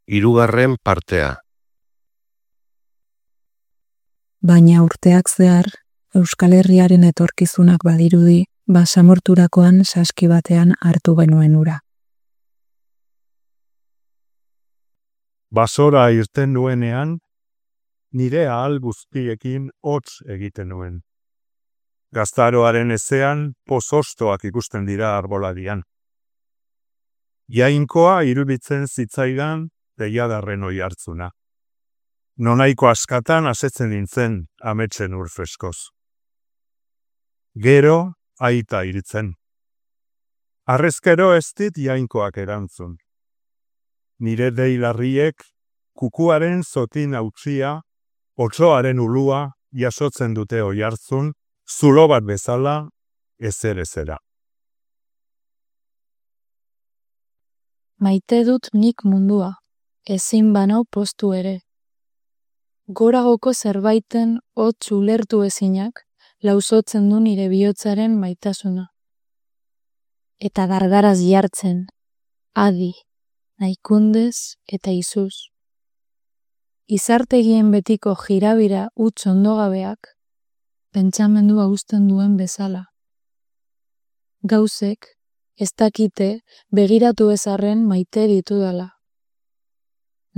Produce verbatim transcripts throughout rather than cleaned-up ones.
Hirugarren partea. Baina urteak zehar, Euskal Herriaren etorkizunak badirudi, basamorturakoan saski batean hartu genuen ura. Basora irten nuenean, nire ahal guztiekin hotz egiten nuen. Gaztaroaren ezean pozostoak ikusten dira arboladian. Jainkoa iruditzen zitzaidan deiadarren oihartzuna. Nonaiko askatan asetzen nintzen ametsen ur freskoz. Gero aita iritzen. Harrezkero ez dit jainkoak erantzun. Nire deilarriek kukuaren zotin hautzia, otsoaren ulua jasotzen dute oihartzun, zulo bat bezala ezer ezera. Maite dut nik mundua, ezin banau postu ere. Goragoko zerbaiten hotz ulertu ezinak, lausotzen du nire bihotzaren maitasuna. Eta dardaraz jartzen, adi, naikundez eta izuz. Izartegien betiko jirabira utz ondogabeak, pentsamendua uzten duen bezala. Gauzek, ez dakite begiratu ezarren maite ditudala.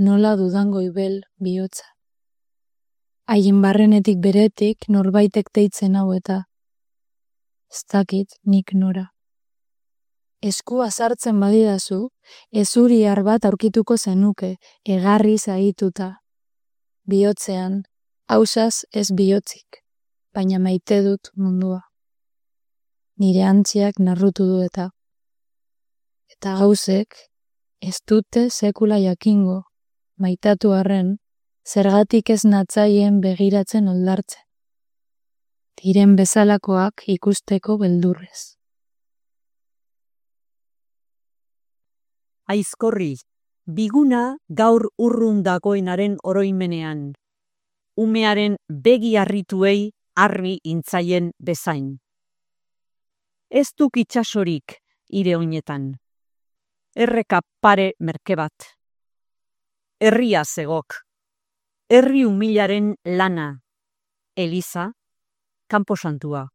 Nola dudango ibel bihotza. Haien barrenetik beretik norbaitek deitzen hau eta ez dakit nik nora. Eskua sartzen badidazu, ezuriar bat aurkituko zenuke, egarri zaituta. Bihotzean, hausaz ez bihotzik, baina maite dut mundua. Nire antziak narrutu du eta. Eta gauzek, ez dute sekula jakingo, maitatu arren, zergatik ez natzaien begiratzen oldartzen. Diren bezalakoak ikusteko beldurrez. Aizkorri, biguna gaur urrun dagoenaren oroimenean. Umearen begi harrituei harri intzaien bezain. Ez duk itxasorik ire oinetan. Erreka pare merke bat. Herria zegok. Herri humilaren lana. Eliza, kanposantua.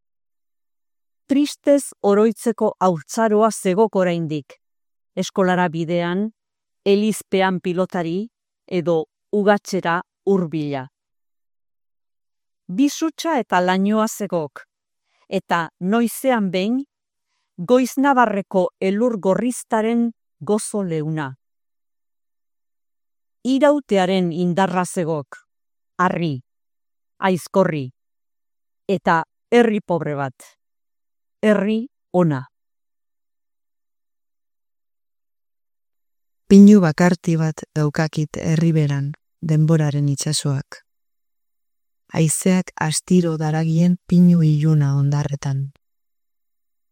Tristez oroitzeko haurtzaroa zegok oraindik. Eskolara bidean, elizpean pilotari edo ugatzera hurbila. Bizutsa eta lainoa zegok, eta noizean behin, goiznabarreko elur gorriztaren gozo leuna. Irautearen indarra zegok, harri, aizkorri, eta herri pobre bat, herri ona. Pinu bakarti bat daukakit herriberan, denboraren itsasoak. Haizeak astiro daragien pinu iluna ondarretan.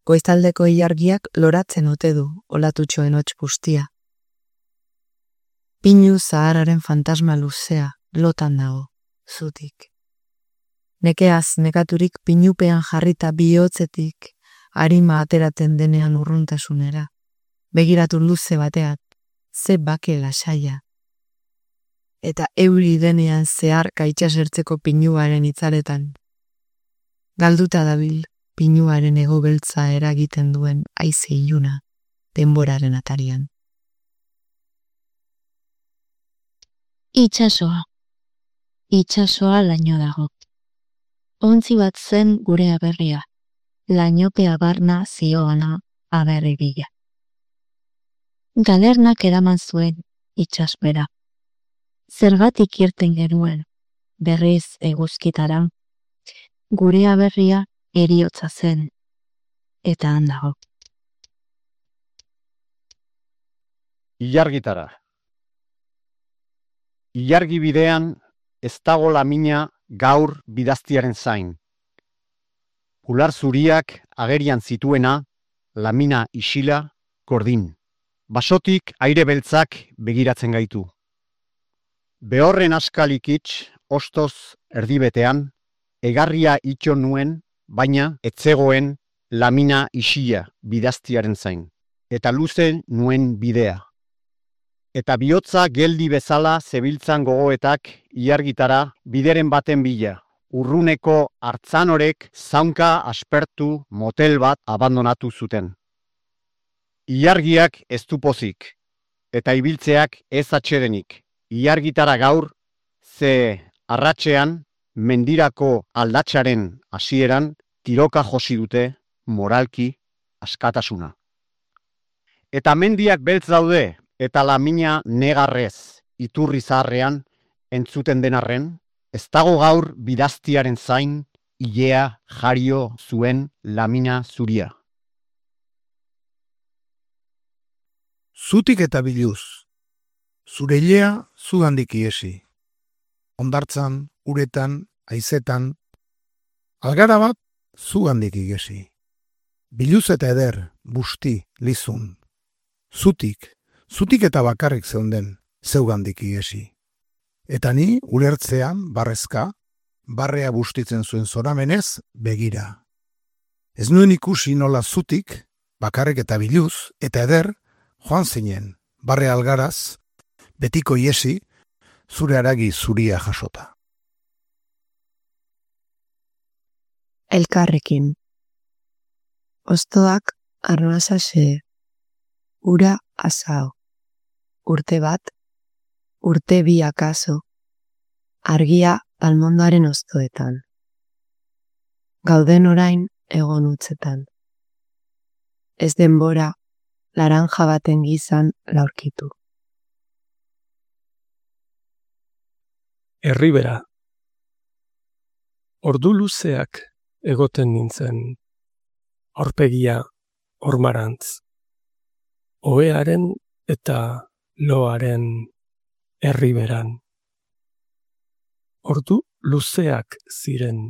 Goizaldeko ilargiak loratzen ote du olatutxoen hots pustia. Pinu zahararen fantasma luzea lotan dago, zutik. Nekeaz nekaturik pinupean jarrita bihotzetik arima ateraten denean urruntasunera. Begiratu luze bateat, ze bake lasaia. Eta euri denean zeharka itxasertzeko pinuaren itzaletan. Galduta dabil pinuaren ego beltza eragiten duen haize iluna denboraren atarian. Itxasoa. Itxasoa laino dago. Ontzi bat zen gure aberria. Lainopea barna zioana aberri bila. Galernak eraman zuen itxaspera. Zergatik irten genuen, berriz eguzkitara, gure aberria heriotza zen, eta handago. Ilargitara. Ilargi bidean ez dago lamina gaur bidaztiaren zain. Ular zuriak agerian zituena, lamina isila, gordin. Basotik aire beltzak begiratzen gaitu. Behorren askalikitz, ostoz erdibetean, egarria itxo nuen, baina etzegoen lamina isila bidaztiaren zain, eta luze nuen bidea. eta bihotza geldi bezala zebiltzan gogoetak ilargitara bideren baten bila. Urruneko hartzanorek zaunka aspertu motel bat abandonatu zuten. Ilargiak ez du pozik, eta ibiltzeak ez atsedenik. Ilargitara gaur, ze arratsean mendirako aldatsaren hasieran tiroka josi dute moralki askatasuna. Eta mendiak beltz daude, eta lamina negarrez iturri zaharrean entzuten denarren, ez dago gaur bidaztiaren zain ilea jario zuen lamina zuria. Zutik eta biluz, zure ilea zugandik iesi. Hondartzan, uretan, haizetan, algara bat zugandik igesi. Biluz eta eder, busti, lizun. Zutik, zutik eta bakarrik zeunden, zeugandik igesi. Eta ni, ulertzean, barrezka, barrea bustitzen zuen zoramenez, begira. Ez nuen ikusi nola zutik, bakarrik eta biluz, eta eder, joan zinen, barre algaraz, betiko iesi, zure haragi zuria jasota. Elkarrekin. Ostoak arnasa xe, ura asao, urte bat, urte bi akaso, argia almondoaren ostoetan. Gauden orain egon utzetan. Ez denbora, laranja baten gizan laurkitu. Erribera. Ordu luzeak egoten nintzen, aurpegia ormarantz. Ohearen eta loaren erriberan. Ordu luzeak ziren,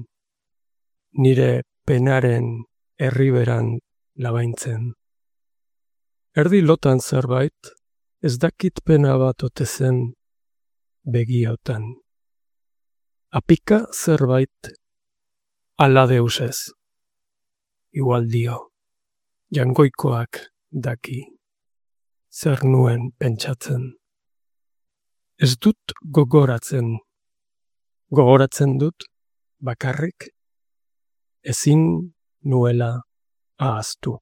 nire penaren erriberan labaintzen. Erdi lotan zerbait, ez dakit pena bat ote zen begiotan. Apika zerbait ala deusez. Igual dio, jangoikoak daki, zer nuen pentsatzen. Ez dut gogoratzen, gogoratzen dut bakarrik, ezin nuela ahaztu.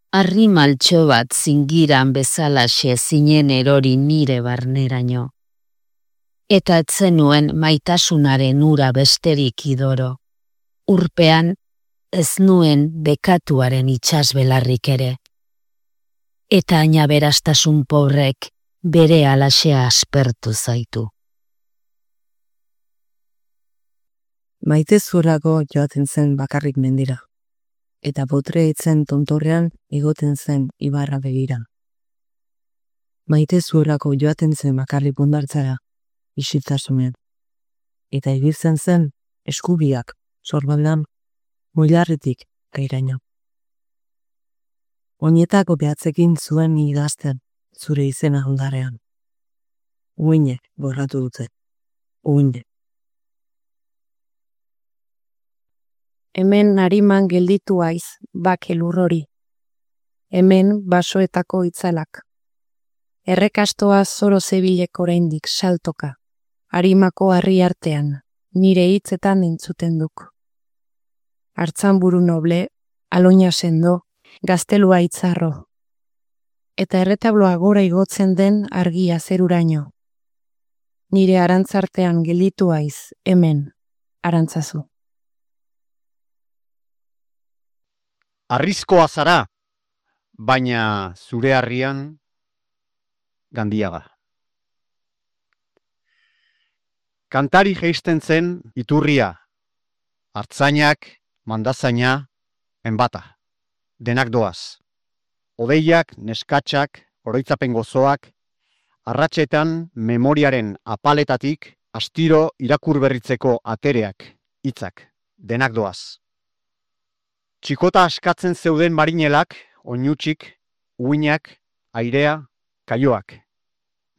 Arri maltxo bat zingiran bezalaxe zinen erori nire barneraino. Eta etzenuen maitasunaren ura besterik idoro. Urpean ez nuen bekatuaren itsasbelarrik ere. Eta ainaberastasun pobrek bere alaxea aspertu zaitu. Maite zuelako joaten zen bakarrik mendira. Eta botre etzen tontorrean egoten zen ibarra begira. Maite zuelako joaten zen bakarrik bundartzara, isiltasunean. Eta ibiltzen zen eskubiak, sorbaldan, muilarretik gairaino. Oinetako behatzekin zuen idazten zure izena ondarean. Uinek borratu dute. Uinek. Hemen nariman gelditu aiz, bake lurrori. Hemen basoetako itzalak. Errekastoa zoro zebilek oraindik saltoka. Arimako harri artean, nire hitzetan entzuten duk. Hartzanburu noble, aloina sendo, gaztelua itzarro. Eta erretabloa gora igotzen den argia zeruraino. Nire arantzartean gelditu aiz, hemen, arantzazu. Arrizkoa zara, baina zure harrian Gandiaga. Kantari jeisten zen iturria, hartzainak, mandazaina, enbata, denak doaz. Odeiak, neskatxak, oroitzapen gozoak, arratsetan memoriaren apaletatik astiro irakur berritzeko atereak, hitzak, denak doaz. Txikota askatzen zeuden marinelak, oinutsik, uinak, airea, kaioak.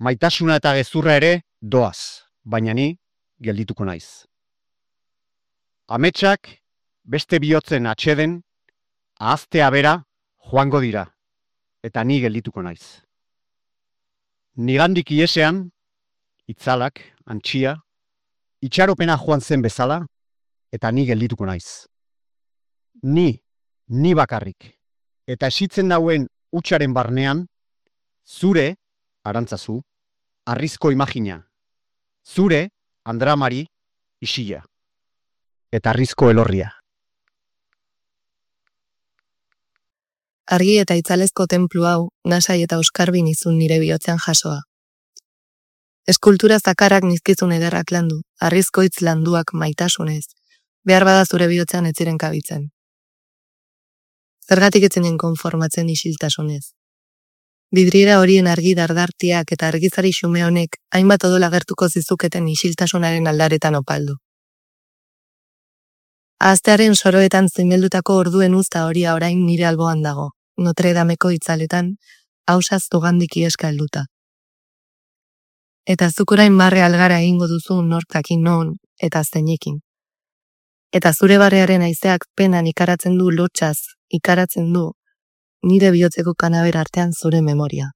Maitasuna eta gezurra ere doaz, baina ni geldituko naiz. Ametsak beste bihotzen atxeden, ahaztea bera joango dira. eta ni geldituko naiz. Nigandik iesean, itzalak, antxia, itxaropena joan zen bezala, eta ni geldituko naiz. Ni, ni bakarrik, eta esitzen dauen hutsaren barnean, zure, arantzazu, arrizko imagina, zure, andramari, isila, eta arrizko elorria. Argi eta itzalezko tenplu hau, nasai eta oskarbin izun nire bihotzean jasoa. Eskultura zakarrak nizkizun ederrak landu, arrizko hitz landuak maitasunez, behar bada zure bihotzean ez ziren kabitzen. Zergatik etzenen konformatzen isiltasunez. Bidriera horien argi dardartiak eta argizari xume honek hainbat odola gertuko zizuketen isiltasunaren aldaretan opaldu. Ahaztearen soroetan zimeldutako orduen uzta horia orain nire alboan dago, Notre Dameko itzaletan, hausaz zugandik ieska helduta. Eta zuk orain barre algara egingo duzu norkakin non eta zeinekin. Eta zure barrearen haizeak penan ikaratzen du lotxaz, ikaratzen du, nire bihotzeko kanaber artean zure memoria.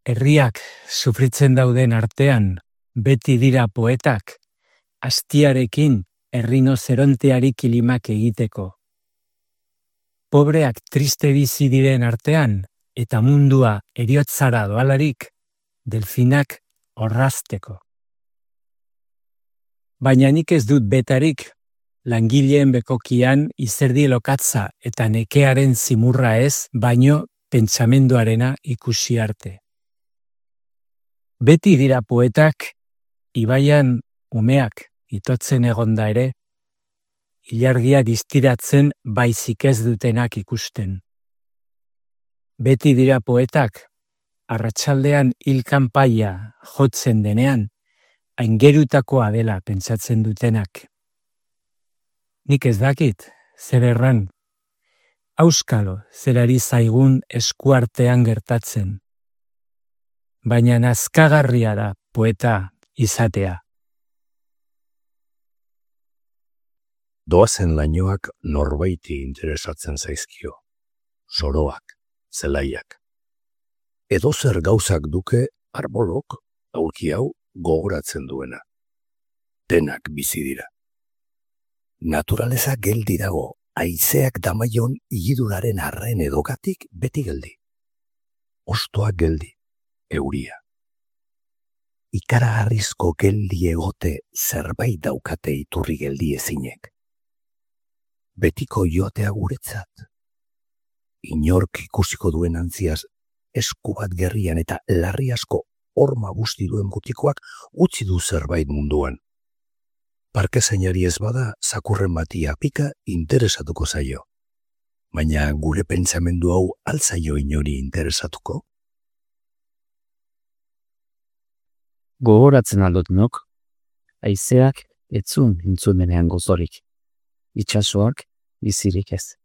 Herriak sufritzen dauden artean, beti dira poetak, astiarekin errinozeronteari kilimak egiteko. Pobreak triste bizi diren artean, eta mundua eriotzara doalarik, delfinak orrazteko. Baina nik ez dut betarik, langileen bekokian izerdi lokatza eta nekearen zimurra ez, baino pentsamenduarena ikusi arte. Beti dira poetak, ibaian umeak itotzen egonda ere, ilargia distiratzen baizik ez dutenak ikusten. Beti dira poetak, arratsaldean hilkanpaia jotzen denean, aingerutakoa dela pentsatzen dutenak. Nik ez dakit, zer erran, auskalo zerari zaigun eskuartean gertatzen. Baina nazkagarria da poeta izatea. Doazen lainoak norbaiti interesatzen zaizkio. Soroak, zelaiak. Edozer gauzak duke arbolok, aurki hau, gogoratzen duena. Denak bizi dira. Naturaleza geldi dago, haizeak damaion igiduraren arren edogatik beti geldi. Ostoak geldi, euria. Ikaragarrizko geldi egote zerbait daukate iturri geldi ezinek. Betiko joatea guretzat. Inork ikusiko duen antziaz, esku bat gerrian eta larri asko horma busti duen butikoak utzi du zerbait munduan. Parke zainari ez bada, zakurren batia pika interesatuko zaio. Baina gure pentsamendu hau altzaio inori interesatuko? Gogoratzen aldot nok, haizeak etzun intzumenean gozorik. Itxasoak bizirik ez.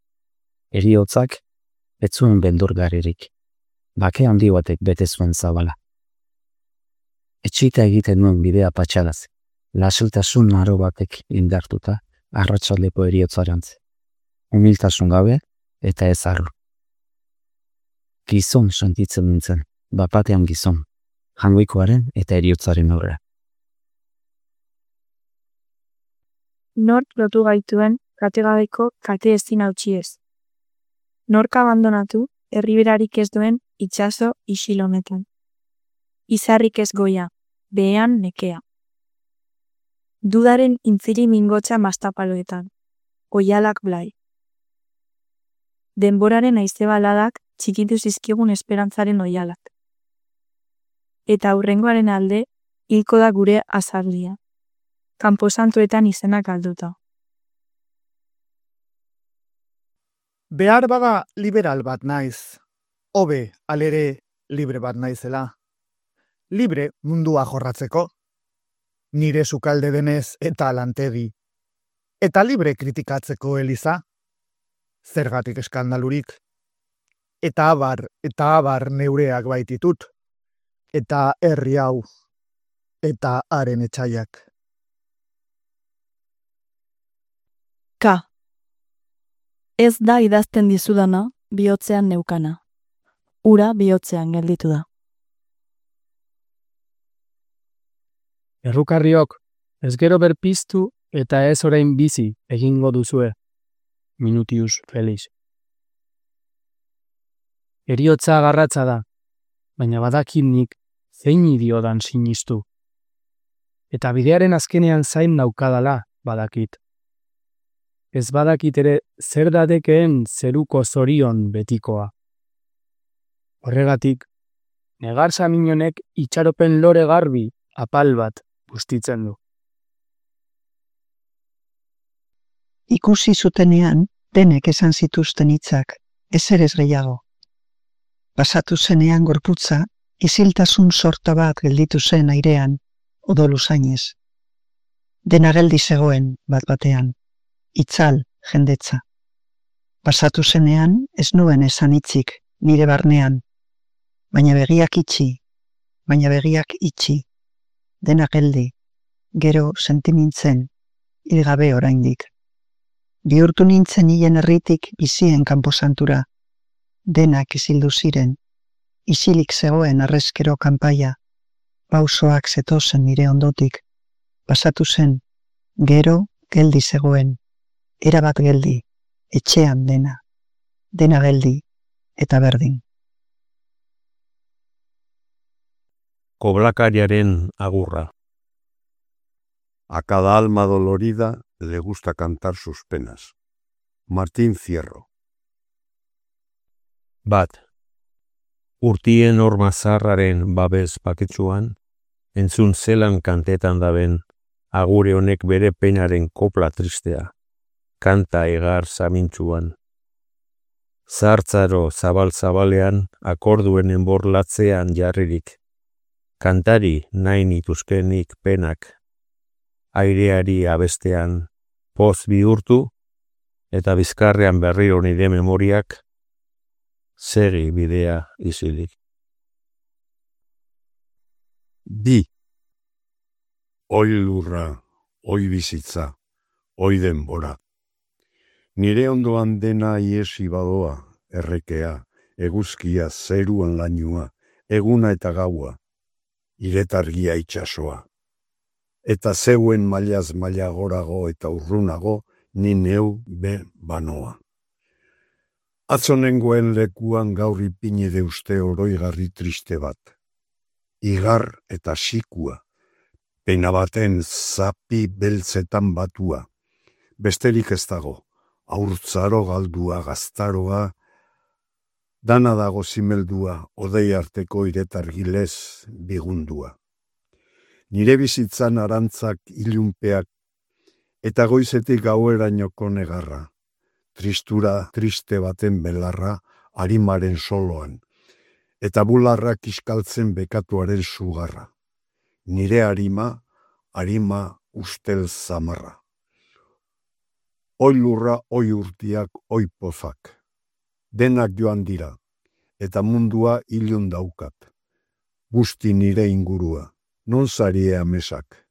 Heriotzak etzuen beldurgarririk. Bake handi batek bete zuen zabala. Etxita egiten nuen bidea patxadaz. Lasiltasun aro batek indartuta arratsaldeko heriotzarantz. Humiltasun gabe eta ez arru. Gizon sentitzen nintzen, bapatean gizon, jangoikoaren eta heriotzaren aurra. Nork lotu gaituen kategabeko kate ezin hautsiez. Nork abandonatu herriberarik ez duen itsaso isil honetan. Izarrik ez goia, behean nekea. Dudaren intziri mingotxa mastapaloetan, oialak blai. Denboraren haize baladak txikitu zizkigun esperantzaren oialak. Eta aurrengoaren alde, hilko da gure azarlia. Kanposantuetan izenak galduta. Behar bada liberal bat naiz. Hobe, alere, libre bat naizela. Libre mundua jorratzeko. Nire sukalde denez eta lantegi. Eta libre kritikatzeko Eliza. Zergatik eskandalurik. Eta abar, eta abar neureak baititut. Eta herri hau. Eta haren etxaiak. Ka. Ez da idazten dizudana, bihotzean neukana. Ura bihotzean gelditu da. Errukarriok, ez gero berpiztu eta ez orain bizi egingo duzue. Minutius Felix. Eriotza garratza da, baina badakit nik zein idiodan sinistu. Eta bidearen azkenean zain naukadala badakit. Ez badakit ere zer dadekeen zeruko zorion betikoa. Horregatik, negar saminonek itxaropen lore garbi apal bat bustitzen du. Ikusi zutenean, denek esan zituzten hitzak, ezer ez gehiago. Pasatu zenean gorputza, isiltasun sorta bat gelditu zen airean, odolu zainez. Dena geldi zegoen bat batean, itzal jendetza. Pasatu zenean, ez nuen esan hitzik, nire barnean, baina begiak itxi, baina begiak itxi, dena geldi, gero sentimintzen, hilgabe oraindik. Bihurtu nintzen hien herritik bizien kanposantura, denak isildu ziren, isilik zegoen arrezkero kanpaia, pausoak zetozen nire ondotik, pasatu zen, gero geldi zegoen, erabat geldi, etxean dena, dena geldi eta berdin. Koblakariaren agurra. A cada alma dolorida le gusta cantar sus penas. Martín Fierro. Bat. Urtien horma zarraren babes paketsuan, entzun zelan kantetan daben, agure honek bere penaren kopla tristea, kanta egar zamintzuan. Zartzaro zabal-zabalean, akorduen enborlatzean jarririk, kantari nahi nituzkenik penak, aireari abestean poz bihurtu, eta bizkarrean berriro nire memoriak, segi bidea izilik. Bi. Oi lurra, oi bizitza, oi denbora. Nire ondoan dena iesi badoa, errekea, eguzkia, zeruan lainua, eguna eta gaua, iretargia itxasoa. Eta zeuen mailaz maila gorago eta urrunago, ni neu be banoa. Atzonengoen lekuan gaur ipini deuste oroigarri triste bat. Igar eta sikua, pena baten zapi beltzetan batua. Besterik ez dago, aurtzaro galdua gaztaroa, dana dago zimeldua, odei arteko iretargilez bigundua. Nire bizitzan arantzak ilunpeak, eta goizetik gauerainoko negarra, tristura triste baten belarra arimaren soloan, eta bularrak iskaltzen bekatuaren sugarra. Nire arima, arima ustel zamarra. Oi lurra, oi urtiak, oi pozak. Denak joan dira, eta mundua ilun daukat. Guzti nire ingurua, non zarie amesak.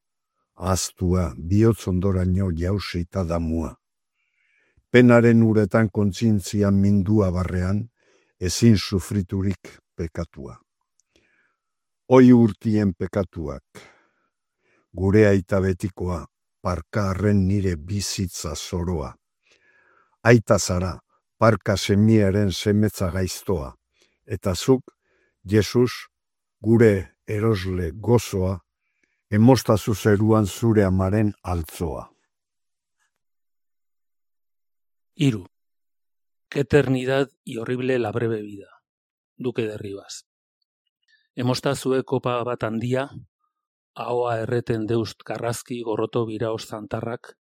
Ahaztua, bihotz ondoraino jausita damua. Penaren uretan kontzientzian mindua barrean, ezin sufriturik pekatua. Oi urtien pekatuak, gure aita betikoa, parka arren nire bizitza zoroa. Aita zara, parka semiaren semetza gaiztoa, eta zuk, Jesus, gure erosle gozoa, emostazu zeruan zure amaren altzoa. Iru. Qué eternidad y horrible la breve vida. Duque de Rivas. Emostazue kopa bat handia, ahoa erreten deust karrazki gorroto biraos zantarrak,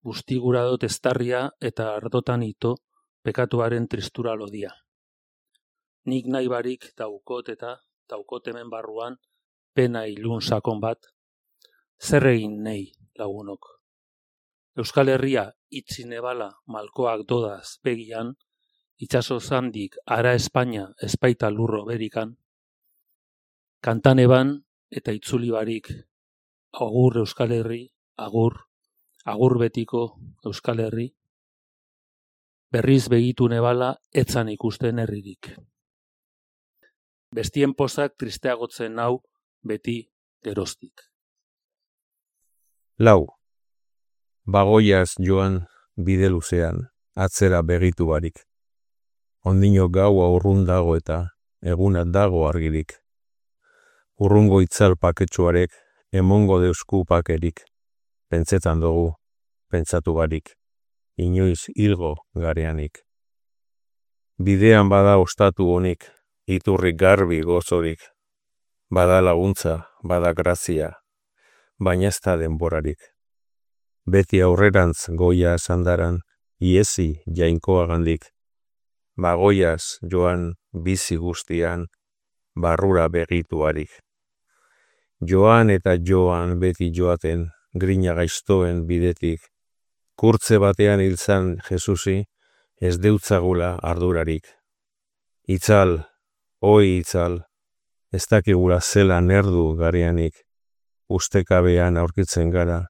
bustigurado testarria eta ardotan ito pekatuaren tristura lodia. Nik nahi barik daukot eta daukot hemen barruan pena ilun sakon bat, zer egin nei lagunok. Euskal Herria itzi nebala malkoak dodaz begian, itxaso zandik ara Espainia espaita lurro berikan, kantan eban eta itzuli barik, agur Euskal Herri, agur, agur betiko Euskal Herri. berriz begitu nebala etzan ikusten herririk. Bestien pozak tristeagotzen nau beti geroztik. Lau. Bagoiaz joan bide luzean, atzera begitu barik. Ondino gaua urrun dago eta eguna dago argirik. Urrungo itzal paketsuarek, emongo deusku pakerik. Pentsetan dugu, pentsatu barik. Inoiz hilgo gareanik. Bidean bada ostatu honik, iturri garbi gozorik. Bada laguntza, bada grazia, baina ez da denborarik. Beti aurrerantz goia sandaran, iesi jainkoagandik. Bagoiaz joan bizi guztian, barrura begituarik. Joan eta joan beti joaten, grina gaiztoen bidetik. Kurtze batean hilzan Jesusi, ez deutzagula ardurarik. Itzal, oi itzal, ez dakigula zela nerdu gareanik, ustekabean aurkitzen gara,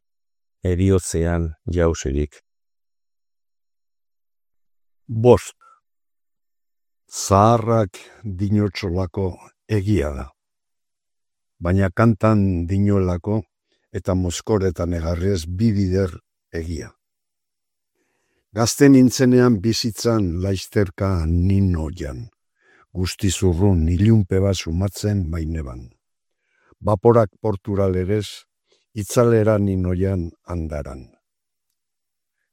eriotzean jausirik. Bost. Zaharrak dinotxolako egia da. Baina kantan dinolako eta moskoretan egarrez bibider egia. Gazte nintzenean bizitzan laizterka ninoian. Guztizurrun ilunpe bat sumatzen baineban. Baporak porturalerez, itzalera ninoian andaran.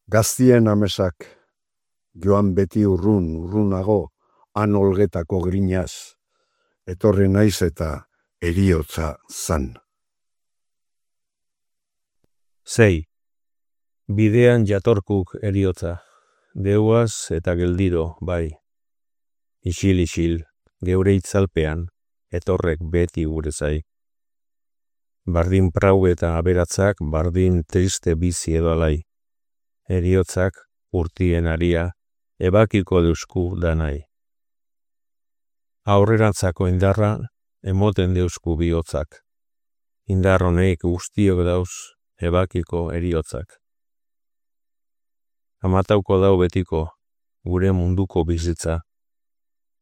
Gaztien amesak, joan beti urrun, urrunago, han olgetako grinaz, etorri naiz eta eriotza zan. Sei. Bidean jatorkuk eriotza, deuaz eta geldiro, bai. Isil-isil, geure itzalpean, etorrek beti gure zai. Bardin prau eta aberatzak, bardin triste bizi edo alai. Eriotzak, urtien aria, ebakiko deusku danai. Aurrerantzako indarra, emoten deusku bihotzak. Indar honeik guztiok dauz, ebakiko eriotzak. Amatauko dau betiko, gure munduko bizitza.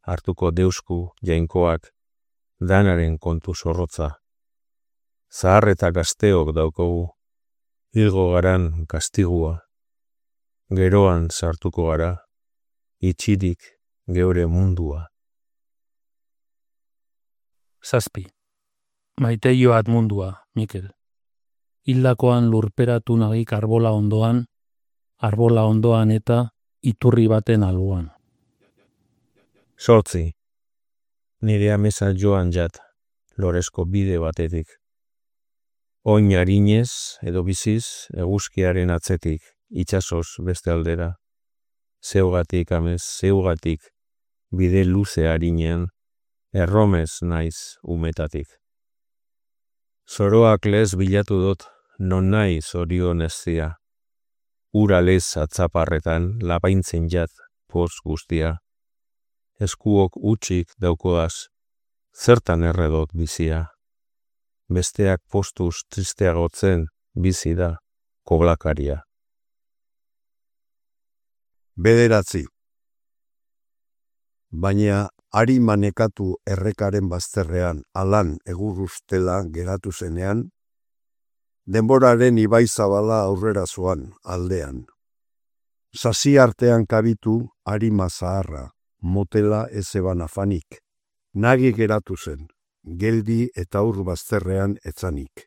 Hartuko deusku jainkoak, danaren kontu zorrotza. Zahar eta gazteok daukogu, hilgo garan kastigua. Geroan sartuko gara, itxirik geure mundua. Zazpi. Maite joat mundua, Mikel. Hildakoan lurperatu nagik arbola ondoan, arbola ondoan eta iturri baten alboan. Sortzi. Nire amesa joan jat, loresko bide batetik. Oin harinez edo biziz eguzkiaren atzetik, itsasoz beste aldera. Zeugatik amez, zeugatik, bide luze harinean, erromez naiz umetatik. Zoroak lez bilatu dut, non nahi zorion eztia. Ura lez atzaparretan lapaintzen jat poz guztia. Eskuok utxik daukoaz, zertan erredot bizia. Besteak postuz tristeagotzen bizi da koblakaria. Bederatzi. Baina ari manekatu errekaren bazterrean alan egurustela geratu zenean, denboraren ibai zabala aurrera zoan aldean. Sasi artean kabitu arima zaharra, motela ezeban afanik. Nagi geratu zen, geldi eta ur bazterrean etzanik.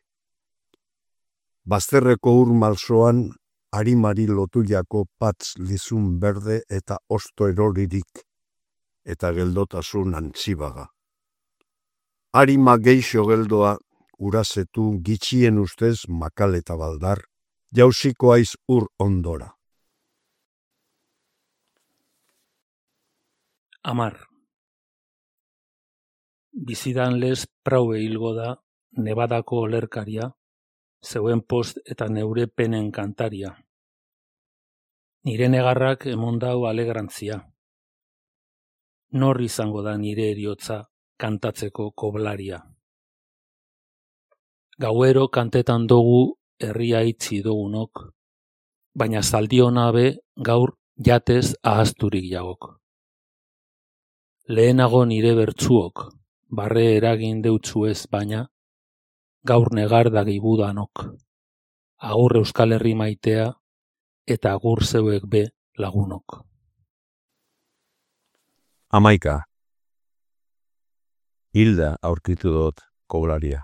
Bazterreko ur malsoan, arimari lotuiako patz lizun berde eta osto eroririk, eta geldotasun antzibaga. Arima geixo geldoa, urazetu gitxien ustez makal eta baldar, jausiko aiz ur ondora. Amar. Bizidan lez praue hilgo da, Nevadako olerkaria, zeuen post eta neure penen kantaria. Nire negarrak emondau alegrantzia. Nor izango da nire eriotza kantatzeko koblaria. Gauero kantetan dugu herria itzi dugunok, baina zaldiona be gaur jatez ahazturik jagok. Lehenago nire bertsuok, barre eragin deutzuez baina, gaur negar dagibudanok. Agur Euskal Herri maitea, eta agur zeuek be lagunok. Amaika. Hilda aurkitu dut koblaria.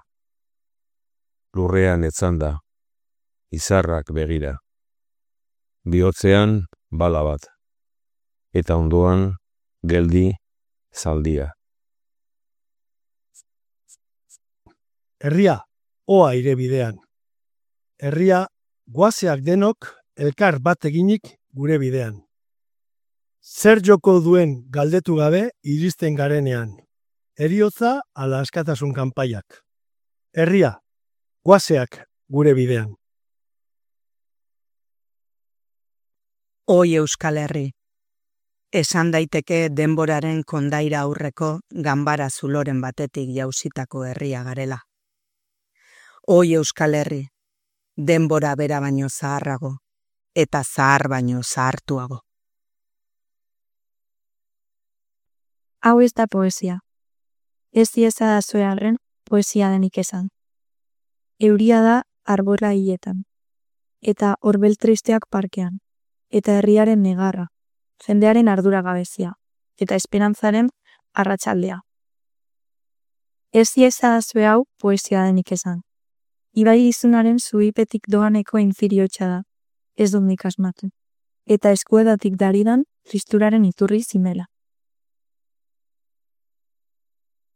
Lurrean etzanda, izarrak begira. Bihotzean bala bat, eta ondoan geldi zaldia. Herria, oa ire bidean. Herria, guazeak denok elkar bat eginik gure bidean. Zer joko duen galdetu gabe iristen garenean. Heriotza ala askatasun kanpaiak. Herria, guazeak gure bidean. Oi Euskal Herri. Esan daiteke denboraren kondaira aurreko ganbara zuloren batetik jausitako herria garela. Oi Euskal Herri, denbora bera baino zaharrago, eta zahar baino zahartuago. Hau ez da poesia. Ez dieza da zoearen poesia denik esan. Euria da arbora hiletan, eta horbel tristeak parkean, eta herriaren negarra, jendearen ardura gabezia, eta esperantzaren arratsaldea. Ez dieza da zoe hau poesia denik esan. Ibai izunaren zuipetik doaneko infiriotxa da, ez dut nik asmatu, eta eskuedatik daridan tristuraren iturri zimela.